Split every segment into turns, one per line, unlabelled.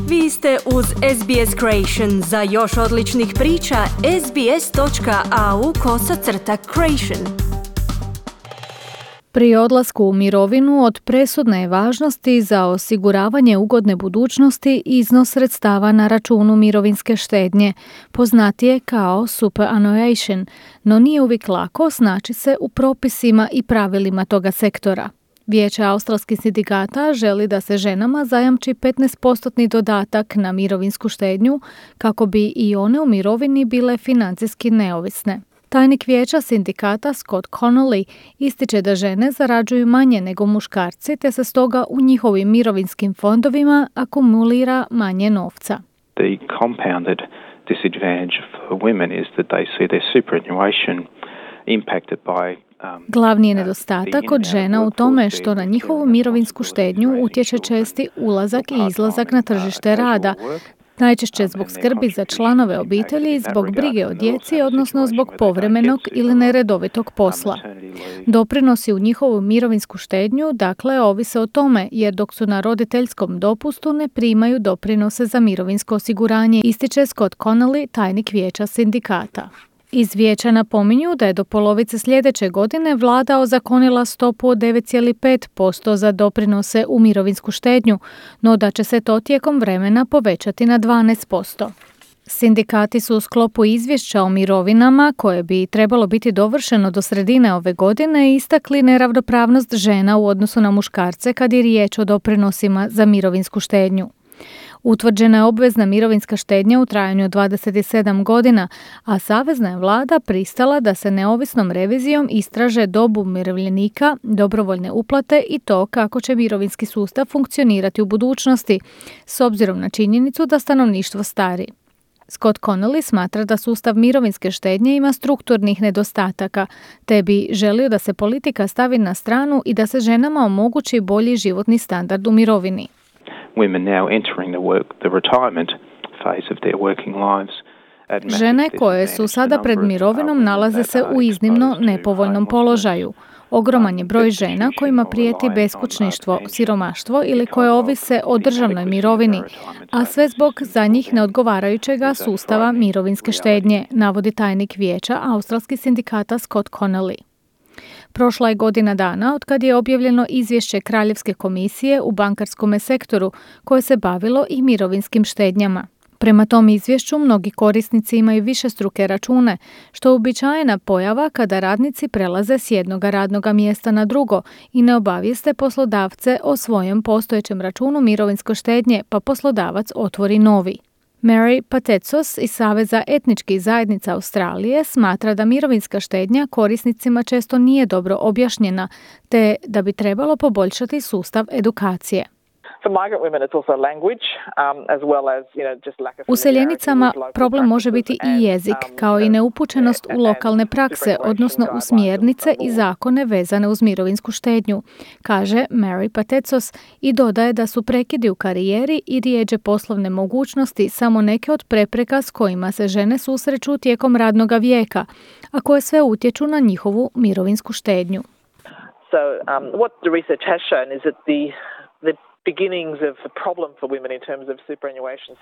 Vi ste uz SBS Creation. Za još odličnih priča, sbs.au/creation.
Pri odlasku u mirovinu od presudne je važnosti za osiguravanje ugodne budućnosti iznos sredstava na računu mirovinske štednje, poznatije kao superannuation, no nije uvijek lako snaći se u propisima i pravilima toga sektora. Vijeće australskih sindikata želi da se ženama zajamči 15% dodatak na mirovinsku štednju kako bi i one u mirovini bile financijski neovisne. Tajnik vijeća sindikata Scott Connolly ističe da žene zarađuju manje nego muškarci te se stoga u njihovim mirovinskim fondovima akumulira manje novca.
The compounded disadvantage for women is that they see their superannuation impacted by
Glavni je nedostatak kod žena u tome što na njihovu mirovinsku štednju utječe česti ulazak i izlazak na tržište rada, najčešće zbog skrbi za članove obitelji, zbog brige o djeci, odnosno zbog povremenog ili neredovitog posla. Doprinosi u njihovu mirovinsku štednju, dakle, ovise o tome, jer dok su na roditeljskom dopustu ne primaju doprinose za mirovinsko osiguranje, ističe Scott Connolly, tajnik vijeća sindikata. Iz vijeća napominju da je do polovice sljedeće godine vlada ozakonila stopu od 9,5% za doprinose u mirovinsku štednju, no da će se to tijekom vremena povećati na 12%. Sindikati su u sklopu izvješća o mirovinama, koje bi trebalo biti dovršeno do sredine ove godine, istakli neravnopravnost žena u odnosu na muškarce kad je riječ o doprinosima za mirovinsku štednju. Utvrđena je obvezna mirovinska štednja u trajanju od 27 godina, a savezna je vlada pristala da se neovisnom revizijom istraže dobu umirovljenika, dobrovoljne uplate i to kako će mirovinski sustav funkcionirati u budućnosti, s obzirom na činjenicu da stanovništvo stari. Scott Connolly smatra da sustav mirovinske štednje ima strukturnih nedostataka, te bi želio da se politika stavi na stranu i da se ženama omogući bolji životni standard u mirovini.
Women now entering the retirement phase of their working lives.
Žene koje su sada pred mirovinom nalaze se u iznimno nepovoljnom položaju. Ogroman je broj žena kojima prijeti beskućništvo, siromaštvo ili koje ovise o državnoj mirovini, a sve zbog za njih neodgovarajućega sustava mirovinske štednje, navodi tajnik vijeća australskih sindikata Scott Connolly. Prošla je godina dana otkad je objavljeno izvješće Kraljevske komisije u bankarskom sektoru koje se bavilo i mirovinskim štednjama. Prema tom izvješću mnogi korisnici imaju višestruke račune, što je uobičajena pojava kada radnici prelaze s jednog radnog mjesta na drugo i ne obavijeste poslodavce o svojem postojećem računu mirovinske štednje, pa poslodavac otvori novi. Mary Patetsos iz Saveza etničkih zajednica Australije smatra da mirovinska štednja korisnicima često nije dobro objašnjena, te da bi trebalo poboljšati sustav edukacije. Useljenicama problem može biti i jezik, kao i neupućenost u lokalne prakse, odnosno u smjernice i zakone vezane uz mirovinsku štednju, kaže Mary Patetsos i dodaje da su prekidi u karijeri i rijeđe poslovne mogućnosti samo neke od prepreka s kojima se žene susreću tijekom radnoga vijeka, a koje sve utječu na njihovu mirovinsku štednju.
What the research has shown is that the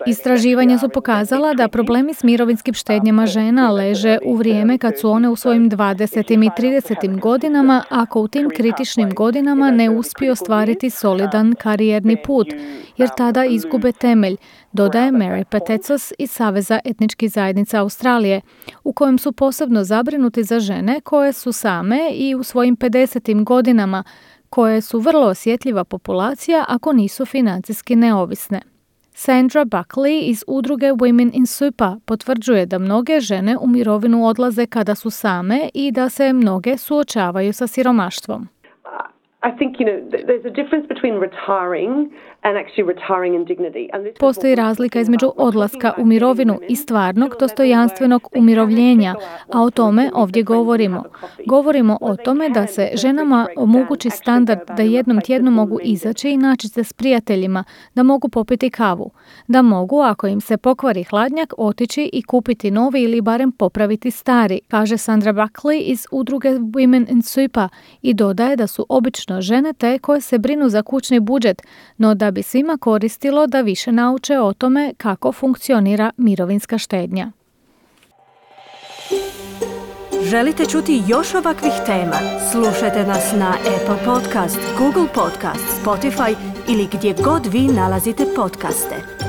Istraživanja su pokazala da problemi s mirovinskim štednjama žena leže u vrijeme kad su one u svojim 20. i 30. godinama, ako u tim kritičnim godinama ne uspiju ostvariti solidan karijerni put, jer tada izgube temelj, dodaje Mary Patetsos iz Saveza etničkih zajednica Australije, u kojem su posebno zabrinuti za žene koje su same i u svojim 50. godinama, koje su vrlo osjetljiva populacija ako nisu financijski neovisne. Sandra Buckley iz udruge Women in Super potvrđuje da mnoge žene u mirovinu odlaze kada su same i da se mnoge suočavaju sa siromaštvom. Postoji razlika između odlaska u mirovinu i stvarnog dostojanstvenog umirovljenja, a o tome ovdje govorimo. Govorimo o tome da se ženama omogući standard da jednom tjednu mogu izaći i naći se s prijateljima, da mogu popiti kavu, da mogu, ako im se pokvari hladnjak, otići i kupiti novi ili barem popraviti stari, kaže Sandra Buckley iz udruge Women in Super i dodaje da su obično žene te koje se brinu za kućni budžet, no da bi svima koristilo da više nauče o tome kako funkcionira mirovinska štednja.
Želite čuti još ovakvih tema? Slušajte nas na Apple Podcast, Google Podcast, Spotify ili gdje god vi nalazite podcaste.